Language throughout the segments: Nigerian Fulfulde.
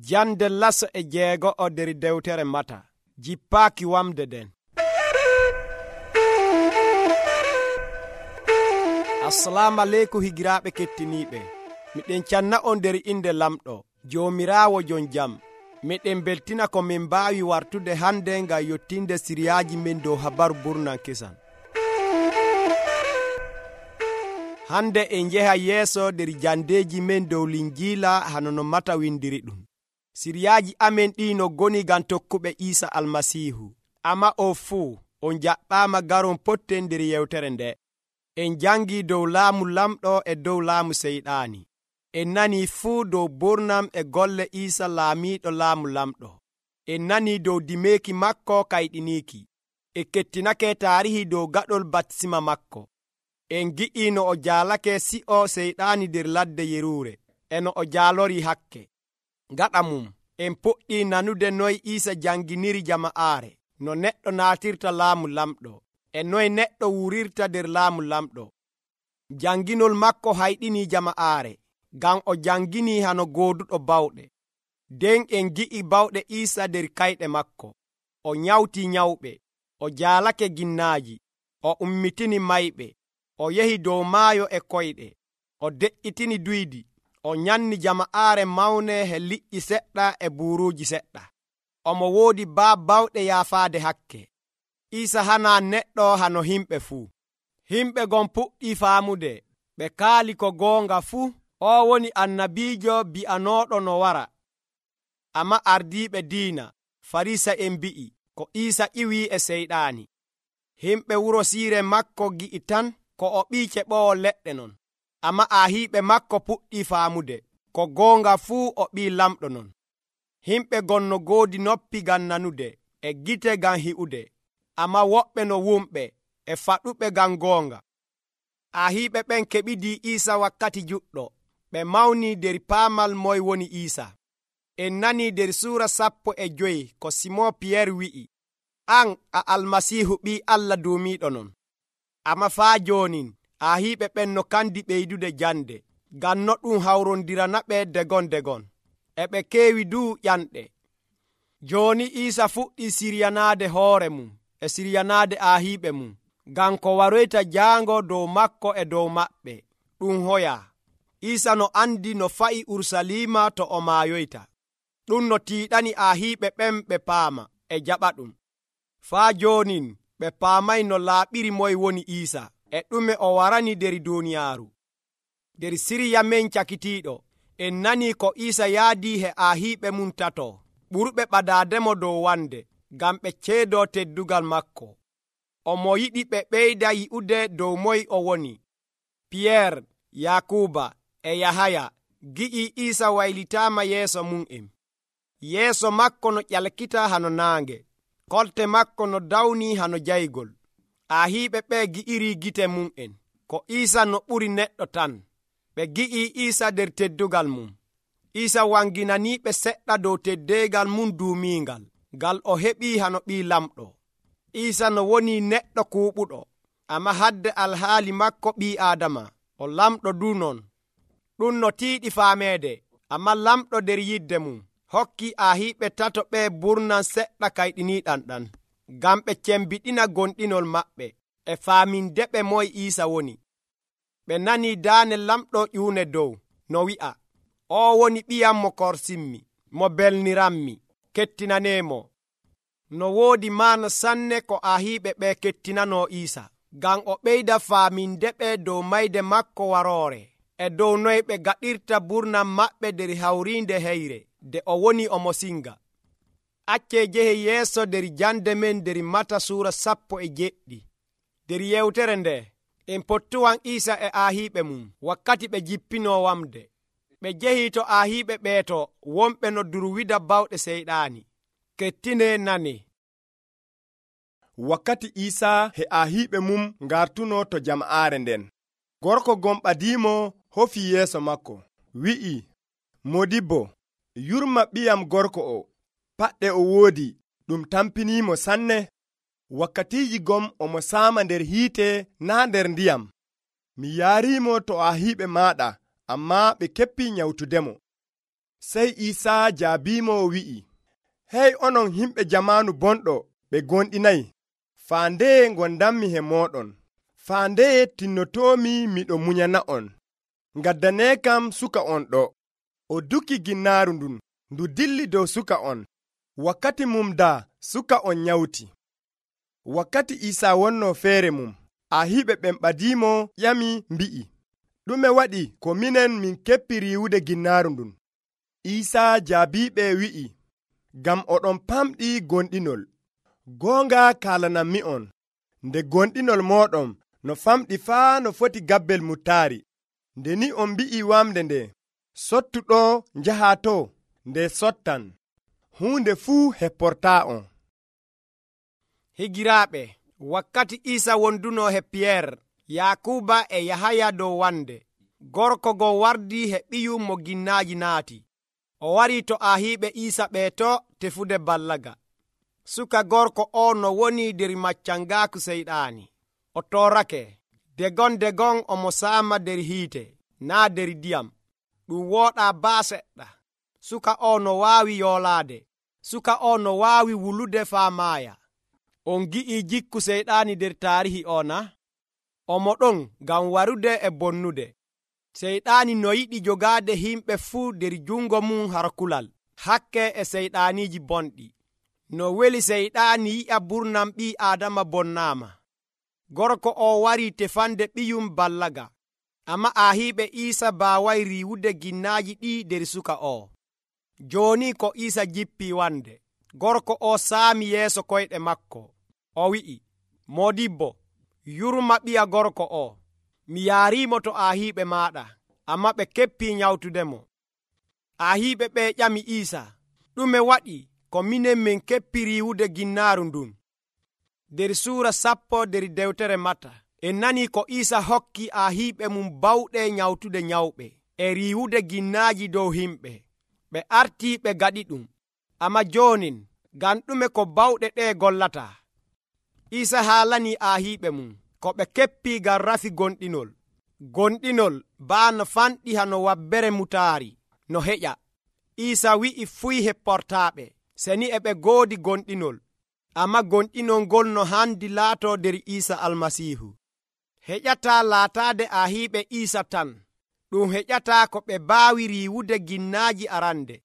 Jande laso e jeego'o der dewtere Mata. Jippaaki wamde den. Assalamu aleykum higiraaɓe kettiniiɓe. Miɗen canna on der inde lamɗo, Joomiraawo jon jam. Miɗen beltina ko min mbaawi wartude hande ngam yottinde siriyaaji men dow habaru burnan kesan. Hande en jeha yeeso der jandeeji men dow Linjiila hano no Mata windiri ɗum. Siriyaaji amen ɗi no goni gam tokkuɓe Iisa Almasiihu. Amma o fuu on jaɓɓaama garon potten der yewtere nde. En jangi dow laamu lamɗo e dow laamu seyɗaani. En nani fuu dow burnam e golle Iisa laamiiɗo laamu lamɗo. En nani dow dimeeki makko kayɗiniiki. E kettinake taarihi dow gaɗol batisima makko. En gi'i no o jaalake si'o seyɗaani der ladde yeruure, e no o jaalori hakke. Gaɗa mum, en puɗɗi nanude noy Iisa janginiri jama'aare, no neɗɗo naatirta laamu lamɗo, e noy neɗɗo wurirta der laamu lamɗo. Janginol makko hayɗini jama'aare, ngam o jangini hano gooduɗo bawɗe. Den en gi'i bawɗe Iisa der kayɗe makko. O nyawti nyawɓe, o jaalake ginnaaji, o ummitini mayɓe, o yehi dow maayo e koyɗe, o de'itini duydi, o nyanni jama'aare mawne he liƴƴi seɗɗa e buuruuji seɗɗa. Omo woodi bawɗe yaafaade hakke. Iisa hana neɗɗo hano himɓe fuu. Himɓe gon puɗɗi faamude, ɓe kaali ko goonga fuu, o woni annabiijo bi'anooɗo no wara. Amma ardiiɓe diina, Farisa'en mbi'i ko Iisa ƴiwii e seyɗaani. Himɓe wuro siire makko gi'i tan ko o ɓii keɓoowo leɗɗe non. Amma aahiiɓe makko puɗɗi faamude, ko goonga fuu o ɓii lamɗo non. Himɓe gon no goodi noppi gam nanude, e gite gam hi'ude, amma woɓɓe no wumɓe, e faɗuɓe gam goonga. Aahiiɓe ɓen keɓidi Iisa wakkati juɗɗo, ɓe mawni der paamal moy woni Iisa. En nani der suura 15 ko Simon Piyeer wi'i, an a Almasiihu ɓii Allah duumiiɗo non. Amma faa joonin, aahiiɓe ɓen no kandi ɓeydude jande, ngam no ɗum hawrondirana ɓe degon. E ɓe keewi duu ƴanɗe. Jooni Iisa fuɗɗi siryanaade hoore mum, e siryanaade aahiiɓe mum, ngam ko waroyta jaango dow makko e dow maɓɓe, ɗum hoyaa. Iisa no andi no fa'i Urusalima to o maayoyta. Ɗum no tiiɗani aahiiɓe ɓen ɓe paama, e jaɓa ɗum. Faa joonin ɓe paamay no laaɓiri moy woni Iisa, e ɗume o warani der duuniyaaru. Der sirya men cakitiiɗo, en nani ko Iisa yaadii he aahiiɓe mum tato, ɓurɓe ɓadaademo dow wande, ngam ɓe ceedoo teddugal makko. Omo yiɗi ɓe ɓeyda yi'ude dow moy o woni. Piyeer, Yakuba e Yahaya gi'i Iisa waylitaama yeeso mum'en. Yeeso makko no ƴalkita hano naange, kolte makko no dawni hano jaygol. Aahiiɓe ɓe gi'iri gite mum'en, ko Iisa no ɓuri neɗɗo tan. Ɓe gi'i Iisa der teddugal mum. Iisa wanginaniiɓe seɗɗa dow teddeegal mum duumiingal, ngal o heɓii hano ɓii lamɗo. Iisa no woni neɗɗo kuuɓuɗo, amma hadde alhaali makko ɓii Aadama, o lamɗo du non. Ɗum no tiiɗi faameede, amma lamɗo der yidde mum hokki aahiiɓe tato ɓe burnan seɗɗa kayɗiniiɗan ɗan, ngam ɓe cembiɗina gonɗinol maɓɓe, e faamindeɓe moy Iisa woni. Ɓe nani daane lamɗo ƴuune dow, no wi'a, o woni ɓiyam mo korsinmi, mo belniranmi, kettinaneemo. No woodi maana sanne ko aahiiɓe ɓe kettinano Iisa, ngam o ɓeyda faamindeɓe dow mayde makko waroore, e dow noy ɓe gaɗirta burnan maɓɓe der hawriinde heyre, de o woni omo singa. Acce jehe yeeso der jande men der Mata suura 17. Der yewtere nde, en pottuwan Iisa e aahiiɓe mum wakkati ɓe jippinoo wamde. Ɓe jehi to aahiiɓe ɓeeto wonɓe no durwida bawɗe seyɗaani. Kettine nane. Wakkati Iisa he aahiiɓe mum ngartuno to jama'aare nden, gorko gon ɓadiimo hofi yeeso makko, wi'i, Modibbo, yurma ɓiyam gorko o, paɗɗe o woodi, ɗum tampiniimo sanne. Wakkatiiji gom omo saama nder hiite naa nder ndiyam. Mi yaariimo to aahiiɓe maaɗa, ammaa ɓe keppii nyawtudemo. Sey Iisaa jaabiimo wi'i, hey onon himɓe jamaanu bonɗo ɓe gonɗinayi, faa ndeye gondanmi he mooɗon, faa ndeye tinnotoomi miɗo munyana'on. Ngaddaneekam suka on ɗo. O duki ginnaaru ndun, ndu dilli dow suka on. Wakkati mum daa suka on nyawti. Wakkati Iisaa wonnoo feere mum, ahiiɓe ɓen ɓadiimo ƴami mbi'i, ɗume waɗi ko minen min keppi riiwude ginnaaru ndun? Iisaa jaabiiɓe wi'i, ngam oɗon pamɗi gonɗinol. Goonga kaalanammi'on, nde gonɗinol mooɗon no famɗi faa no foti gabbel mutaari. Nde ni on mbi'i wamde nde, sottu ɗo njahaa to, nde sottan. Huunde fuu hepportaa'on. Higiraaɓe, wakkati Iisa wonduno he Piyeer, Yakuba e Yahaya dow wande, gorko go wardi he ɓiyum mo ginnaaji naati. O wari to ahiiɓe Iisa ɓeeto tefude ballaga. Suka gorko o no woni der maccangaaku seyɗaani. O torrake, degon omo saama der hiite, naa der ndiyam. Ɗum wooɗaa baa seɗɗa. Suka o no waawi yoolaade. Suka o no waawi wulude faa maaya. On gi'ii jikku seyɗaani der taarihi o na? Omo ɗon ngam warude e bonnude. Seyɗaani no yiɗi jogaade himɓe fuu der jungo mum har kulal, hakke e seyɗaaniiji bonɗi. No weli seyɗaani yi'a burnam ɓii Aadama bonnaama. Gorko o wari tefande ɓiyum ballaga, amma ahiiɓe Iisa baaway riiwude ginnaaji ɗi der suka o. Jooni ko Iisa jippii wande, gorko o saami yeeso koyɗe makko. O wi'i, Moodibbo, yurma ɓiya gorko o. Mi yaariimo to ahiiɓe maaɗa, amma ɓe keppii nyawtudemo. Ahiiɓe ɓe ƴami Iisa, ɗume waɗi ko minen min keppi riiwude ginnaaru ndun? Der suura 10 der dewtere Mata, en nani ko Iisa hokki ahiiɓe mum bawɗe nyawtude nyawɓe e riiwude ginnaaji dow himɓe. Ɓe artii ɓe gaɗi ɗum, amma joonin ngam ɗume ko bawɗe ɗe gollata? Iisa haalanii ahiiɓe mum ko ɓe keppii ngam rafi gonɗinol. Gonɗinol baa no fanɗi hano wabbere mutaari no heƴa. Iisa wi'i fuy hepportaaɓe, seni e ɓe goodi gonɗinol, amma gonɗinol ngol no handi laatoo der Iisa Almasiihu. Heƴataa laataade ahiiɓe Iisa tan. Ɗum heƴataa ko ɓe baawi riiwude ginnaaji arande.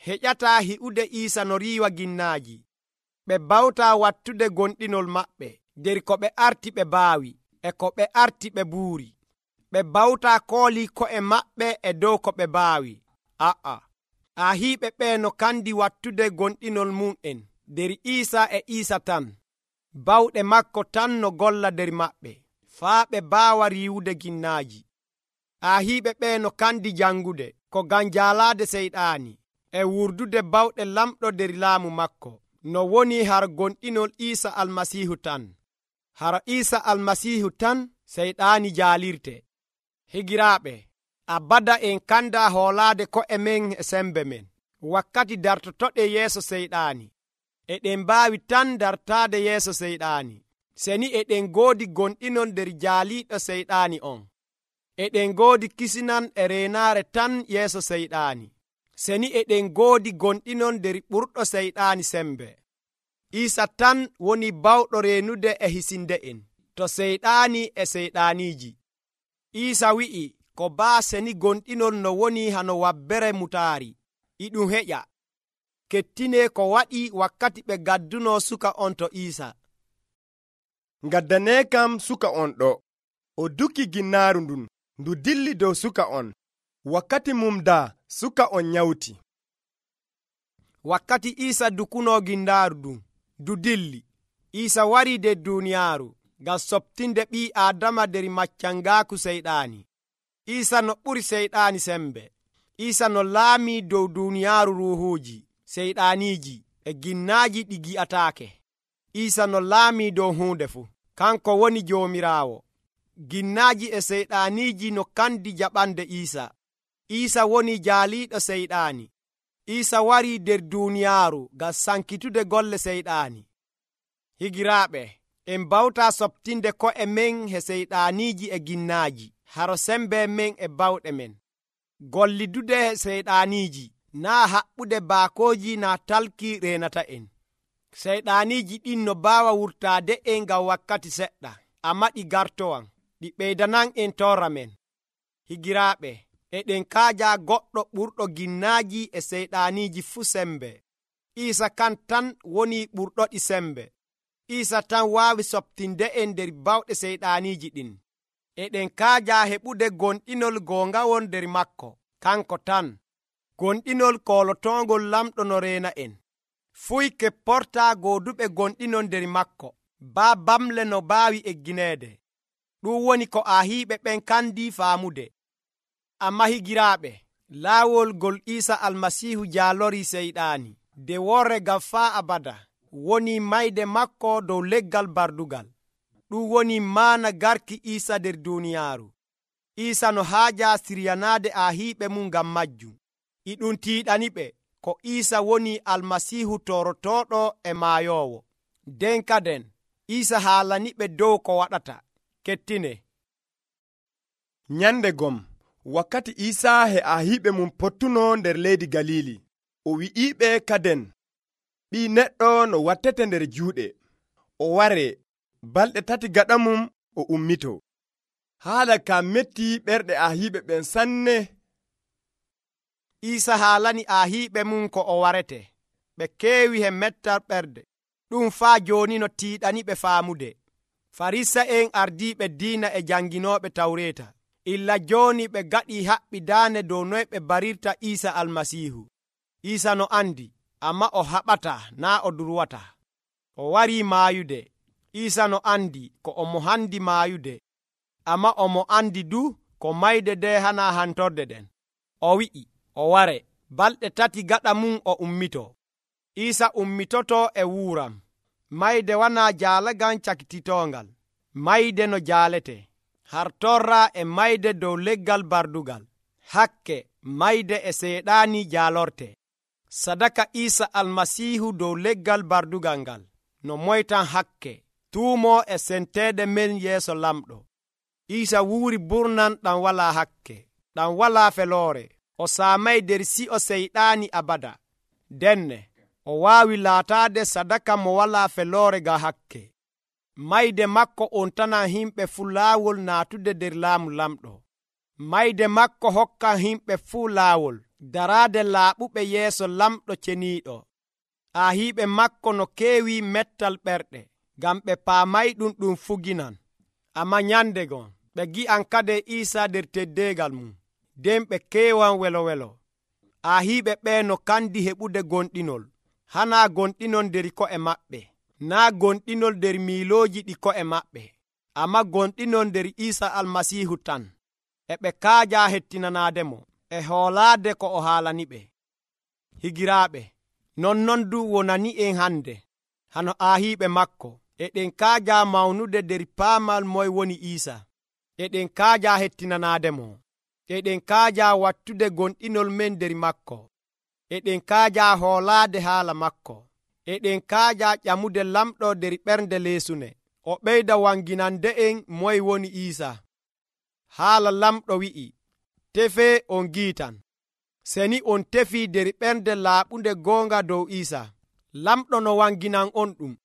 Heƴataa hi'ude Iisa no riiwa ginnaaji. Ɓe bawtaa wattude gonɗinol maɓɓe der ko ɓe arti ɓe baawi e ko ɓe arti ɓe buuri. Ɓe bawtaa koolii ko'e maɓɓe e dow ko ɓe baawi. Ahiiɓe ɓe no kandi wattude gonɗinol mum'en der Iisa e Iisa tan. Bawɗe makko tan no golla der maɓɓe, faa ɓe baawa riiwude ginnaaji. Ahiiɓe ɓe no kandi jangude ko ngam jaalaade seyɗaani e wurdude bawɗe lamɗo der laamu makko, no woni har gonɗinol Iisa Almasiihu tan. Har Iisa Almasiihu tan seyɗaani jaalirte. Higiraaɓe, abada en kanda hoolaade ko'e men e sembe men. Wakkati dartotoɗe yeeso seyɗaani, eɗen mbaawi tan dartaade yeeso seyɗaani, seni eɗen goodi gonɗinol der jaaliiɗo seyɗaani on. Eɗen goodi kisinan e reenaare tan yeeso seyɗaani, seni eɗen goodi gonɗinol der ɓurɗo seyɗaani sembe. Iisa tan woni bawɗo reenude e hisinde'en to seyɗaani e seyɗaaniiji. Iisa wi'i ko baa seni gonɗinol no woni hano wabbere mutaari, iɗum heƴa. Kettine ko waɗi wakkati ɓe gadduno suka on to Iisa. Ngaddaneekam suka on ɗo. O duki ginnaaru ndun, ndu dilli dow suka on. Wakkati mum daa suka on nyawti. Wakkati Iisa dukuno ginnaaru ndun, ndu dilli. Iisa wari der duuniyaaru ngam soɓtinde ɓii Aadama der maccangaaku seyɗaani. Iisa no ɓuri seyɗaani sembe. Iisa no laamii dow duuniyaaru ruuhuuji, seyɗaaniiji e ginnaaji ɗi gi'ataake. Iisa no laamii dow huunde fuu. Kanko woni Joomiraawo. Ginnaaji e seyɗaaniiji no kandi jaɓande Iisa. Iisa woni jaaliiɗo seyɗaani. Iisa warii der duuniyaaru ngam sankitude golle seyɗaani. Higiraaɓe, en mbawtaa soɓtinde ko'e men he seyɗaaniiji e ginnaaji, haro sembe men e bawɗe men. Gollidude he seyɗaaniiji naa haɓɓude baakooji naa talki reenata en. Seyɗaaniiji ɗin no baawa wurtaade en ngam wakkati seɗɗa, ammaa ɗi gartowan, ɗi ɓeydanan en torra men. Higiraaɓe, eɗen kaaja goɗɗo ɓurɗo ginnaaji e seyɗaaniiji fuu sembe. Iisa kan tan woni ɓurɗoɗi sembe. Iisa tan waawi soɓtinde en nder bawɗe seyɗaaniiji ɗin. Eɗen kaaja heɓude gonɗinol goongawol nder makko, kanko tan. Gonɗinol koolotoongol lamɗo no reena en. Fuy kepportaa gooduɓe gonɗinol nder makko, baa bamle no baawi eggineede. Ɗum woni ko ahiiɓe ɓen kandi faamude. Amma higiraaɓe, laawol ngol Iisa Almasiihu jaalorii seyɗaani de worre ngam faa abada, woni mayde makko dow leggal bardugal. Ɗum woni maana garki Iisa nder duuniyaaru. Iisa no haaja siryanaade ahiiɓe mum ngam majjum. E ɗum tiiɗaniɓe ko Iisa woni Almasiihu torotooɗo e maayoowo. Nden kaden Iisa haalaniɓe dow ko waɗata. Kettine. Nyande gom, wakkati Iisa he ahiiɓe mum pottuno nder leydi Galili, o wi'iɓe kaden, ɓii neɗɗo no wattete nder juuɗe, o ware, balɗe 3 gaɗa mum o ummito. Haala ka metti ɓerɗe ahiiɓe ɓen sanne. Iisa haalani ahiiɓe mum ko o warete. Ɓe keewi he mettal ɓerde. Ɗum faa jooni no tiiɗaniɓe faamude. Farisa'en ardiiɓe diina e janginooɓe Tawreeta, illa jooni ɓe gaɗii haɓɓidaane dow noy ɓe barirta Iisa Almasiihu. Iisa no andi, ammaa o haɓataa naa o durwataa. O warii maayude. Iisa no andi ko omo handi maayude, ammaa omo andi du ko mayde nde hanaa hantorde ɗen. O wi'i o ware, balɗe 3 gaɗa mum o ummito. Iisa ummitoto e wuuram. Mayde wanaa jaalagan cakititongal. Mayde no jaalete. Hartorra e mayde dow leggal bardugal. Hakke mayde e seyɗaani jaalorte. Sadaka Iisa Almasiihu dow leggal bardugal ngal no moytan hakke, tuumo e senteede men yeeso lamɗo. Iisa wuuri burnan ɗam walaa hakke, ɗam walaa feloore. O saamay nder si'o seyɗaani abada. Denne o waawi laataade sadaka mo walaa feloore ga hakke. Mayde makko ontanan himɓe fuu laawol naatude nder laamu lamɗo. Mayde makko hokkan himɓe fuu laawol daraade laaɓuɓe yeeso lamɗo ceniiɗo. Ahiiɓe makko no keewi mettal ɓerɗe, ngam ɓe paamay ɗum fuginan. Ammaa nyande gon ɓe gi'an kade Iisa nder teddeegal mum, nden ɓe keewan welo. Ahiiɓe ɓee no kandi heɓude gonɗinol, hanaa gonɗinol nder ko'e maɓɓe, naa gonɗinol nder miilooji ɗi ko'e maɓɓe, ammaa gonɗinol nder Iisa Almasiihu tan. E ɓe kaaja hettinanaademo e hoolaade ko o haalaniɓe. Higiraaɓe, nonnon du wonani en hande, hano ahiiɓe makko, eɗen kaaja mawnude nder paamal moy woni Iisa. Eɗen kaaja hettinanaademo. Eɗen kaaja wattude gonɗinol men nder makko. Eɗen kaaja hoolaade haala makko. Eɗen kaaja ƴamude lamɗo nder ɓernde leesune, o ɓeyda wanginande en moy woni Iisa. Haala lamɗo wi'i, tefee on giitan. Seni on tefii nder ɓernde laaɓunde goonga dow Iisa, lamɗo no wanginan on ɗum.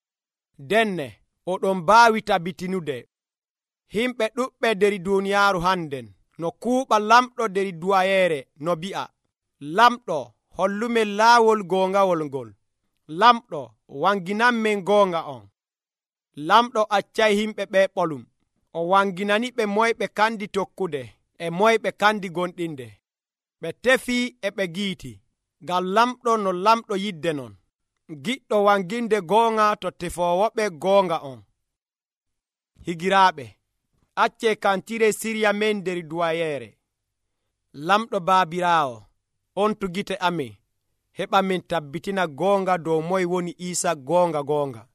Denne oɗon mbaawi tabitinude. Himɓe ɗuɓɓe nder duuniyaaru hannden no kuuɓa lamɗo nder duwayeere no bi'a, lamɗo hollumen laawol goongawol ngol. Lamɗo wanginanmen goonga on. Lamɗo accay himɓe ɓe ɓolum. O wanginani ɓe moy ɓe kandi tokkude e moy ɓe kandi gonɗinde. Ɓe tefii e ɓe giiti, ngam lamɗo no lamɗo yidde non. Giɗɗo wanginde goonga to tefoowoɓe goonga on. Higiraaɓe, accee kantire sirya men nder duwayeere. Lamɗo baabiraawo, on tu gite amin, heɓa min tabbitina goonga dow moy woni Iisa goonga.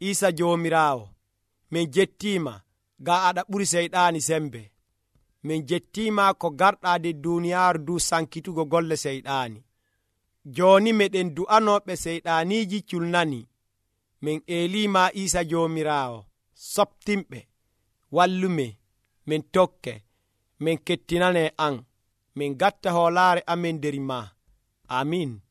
Iisa Joomiraawo, min jettiima ga aɗa ɓuri seyɗaani sembe. Min jettiima ko garɗaa nder duuniyaaru du sankitugo golle seyɗaani. Jooni meɗen du'anooɓe seyɗaaniiji culnani. Min eeliima Iisa Joomiraawo, soptimɓe, wallume, min tokke, min kettinane an, min gatta hoolaare amin nder maa. amin.